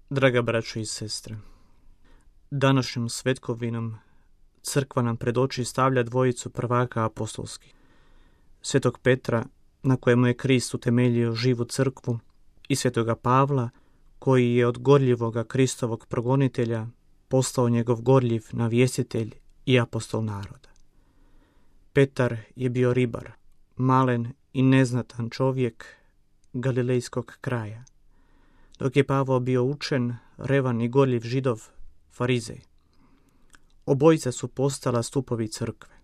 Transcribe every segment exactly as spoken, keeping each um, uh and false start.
Draga braćo i sestre, današnjom svetkovinom crkva nam pred oči stavlja dvojicu prvaka apostolskih. Svetog Petra, na kojemu je Krist utemeljio živu crkvu, i svetoga Pavla, koji je od gorljivoga Kristovog progonitelja postao njegov gorljiv navjestitelj i apostol naroda. Petar je bio ribar, malen i neznatan čovjek galilejskog kraja, dok je Pavao bio učen, revan i gorljiv židov, farizej. Obojica su postala stupovi crkve.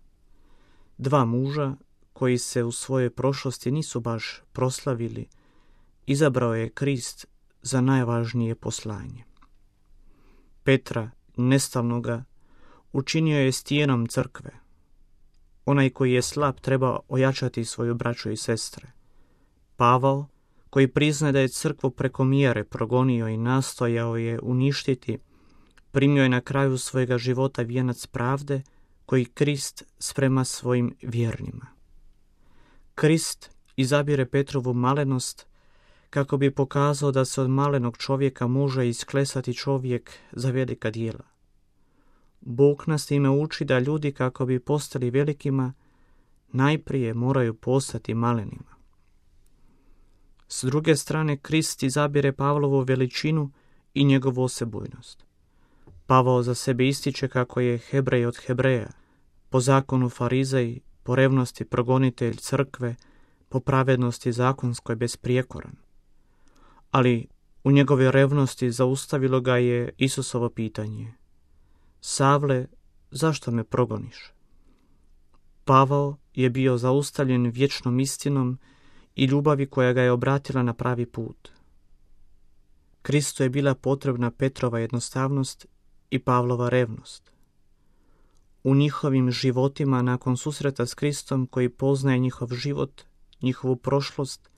Dva muža koji se u svojoj prošlosti nisu baš proslavili, izabrao je Krist za najvažnije poslanje. Petra, nestalnoga, učinio je stijenom crkve. Onaj koji je slab treba ojačati svoju braću i sestre. Pavao, koji priznaje da je crkvu preko mjere progonio i nastojao je uništiti, primio je na kraju svojega života vijenac pravde koji Krist sprema svojim vjernima. Krist izabire Petrovu malenost kako bi pokazao da se od malenog čovjeka može isklesati čovjek za velika djela. Bog nas time uči da ljudi kako bi postali velikima, najprije moraju postati malenima. S druge strane, Krist izabire Pavlovu veličinu i njegovu osebujnost. Pavao za sebe ističe kako je Hebrej od Hebreja, po zakonu farizej, po revnosti progonitelj crkve, po pravednosti zakonskoj besprijekoran. Ali u njegove revnosti zaustavilo ga je Isusovo pitanje: Savle, zašto me progoniš? Pavao je bio zaustavljen vječnom istinom i ljubavi koja ga je obratila na pravi put. Kristu je bila potrebna Petrova jednostavnost i Pavlova revnost. U njihovim životima nakon susreta s Kristom koji poznaje njihov život, njihovu prošlost,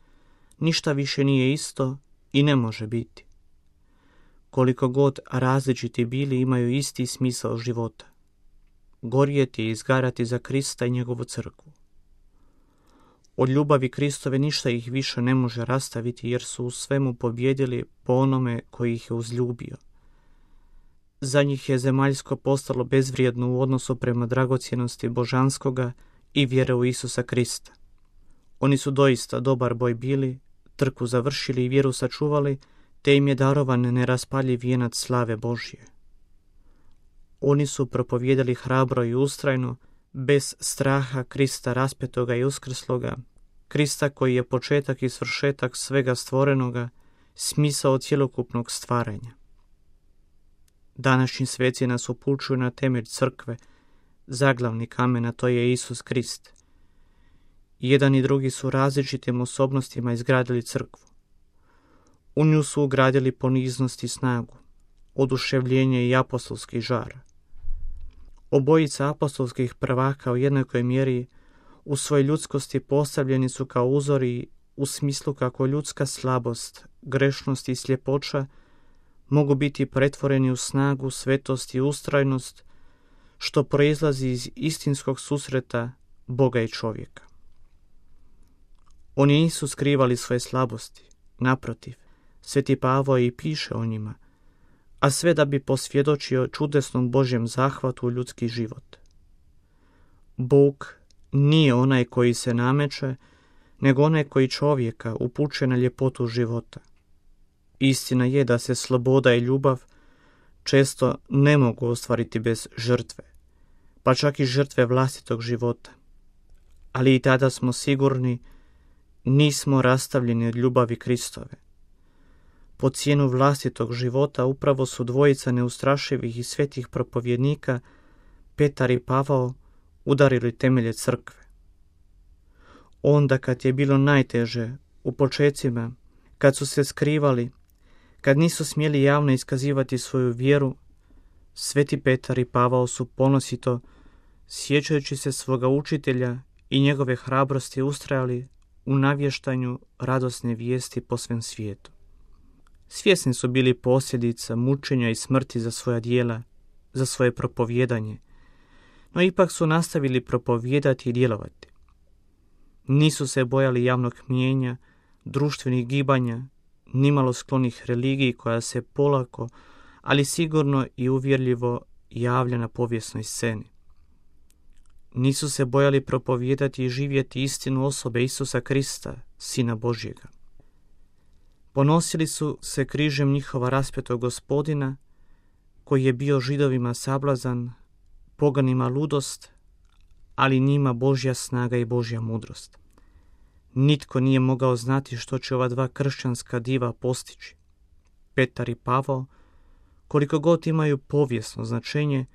ništa više nije isto i ne može biti. Koliko god različiti bili, imaju isti smisao života: gorjeti i izgarati za Krista i njegovu crkvu. Od ljubavi Kristove ništa ih više ne može rastaviti, jer su u svemu pobjedili po onome koji ih je uzljubio. Za njih je zemaljsko postalo bezvrijedno u odnosu prema dragocjenosti božanskoga i vjere u Isusa Krista. Oni su doista dobar boj bili, trku završili i vjeru sačuvali, te im je darovan neraspaljiv vijenac slave Božje. Oni su propovijedali hrabro i ustrajno, bez straha, Krista raspetoga i uskrsloga, Krista koji je početak i svršetak svega stvorenoga, smisao cjelokupnog stvaranja. Današnji sveci nas upućuju na temelj crkve, zaglavni kamen, a to je Isus Krist. Jedan i drugi su različitim osobnostima izgradili crkvu. U nju su ugradili poniznost i snagu, oduševljenje i apostolski žar. Obojica apostolskih prvaka u jednakoj mjeri u svojoj ljudskosti postavljeni su kao uzori u smislu kako ljudska slabost, grešnost i sljepoća mogu biti pretvoreni u snagu, svetost i ustrajnost, što proizlazi iz istinskog susreta Boga i čovjeka. Oni nisu skrivali svoje slabosti, naprotiv, sveti Pavao i piše o njima, a sve da bi posvjedočio čudesnom Božjem zahvatu u ljudski život. Bog nije onaj koji se nameće, nego onaj koji čovjeka upućuje na ljepotu života. Istina je da se sloboda i ljubav često ne mogu ostvariti bez žrtve, pa čak i žrtve vlastitog života. Ali i tada smo sigurni, nismo rastavljeni od ljubavi Kristove. Po cijenu vlastitog života upravo su dvojica neustrašivih i svetih propovjednika, Petar i Pavao, udarili temelje crkve. Onda kad je bilo najteže, u počecima, kad su se skrivali, kad nisu smjeli javno iskazivati svoju vjeru, sveti Petar i Pavao su ponosito, sjećajući se svoga učitelja i njegove hrabrosti, ustrajali u navještanju radosne vijesti po svem svijetu. Svjesni su bili posljedica mučenja i smrti za svoja djela, za svoje propovijedanje, no ipak su nastavili propovijedati i djelovati. Nisu se bojali javnog mnijenja, društvenih gibanja, nimalo sklonih religiji koja se polako, ali sigurno i uvjerljivo javlja na povijesnoj sceni. Nisu se bojali propovijedati i živjeti istinu osobe Isusa Krista, Sina Božjega. Ponosili su se križem njihova raspetog Gospodina, koji je bio Židovima sablazan, poganima ludost, ali njima Božja snaga i Božja mudrost. Nitko nije mogao znati što će ova dva kršćanska diva postići. Petar i Pavao, koliko god imaju povijesno značenje,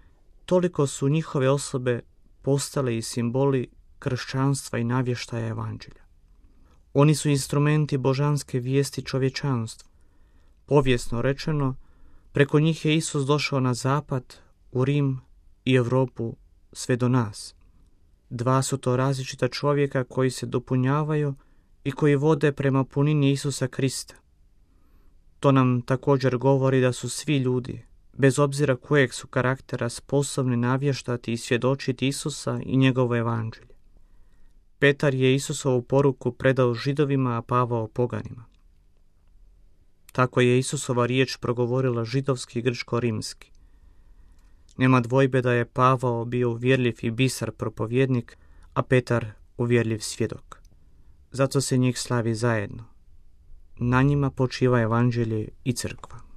toliko su njihove osobe postale i simboli kršćanstva i navještaja evanđelja. Oni su instrumenti božanske vijesti čovječanstvu. Povijesno rečeno, preko njih je Isus došao na zapad, u Rim i Europu, sve do nas. Dva su to različita čovjeka koji se dopunjavaju i koji vode prema punini Isusa Krista. To nam također govori da su svi ljudi, bez obzira kojeg su karaktera, sposobni navještati i svjedočiti Isusa i njegovo evanđelje. Petar je Isusovu poruku predao Židovima, a Pavao poganima. Tako je Isusova riječ progovorila židovski i grčko-rimski. Nema dvojbe da je Pavao bio uvjerljiv i bisar propovjednik, a Petar uvjerljiv svjedok. Zato se njih slavi zajedno. Na njima počiva evanđelje i crkva.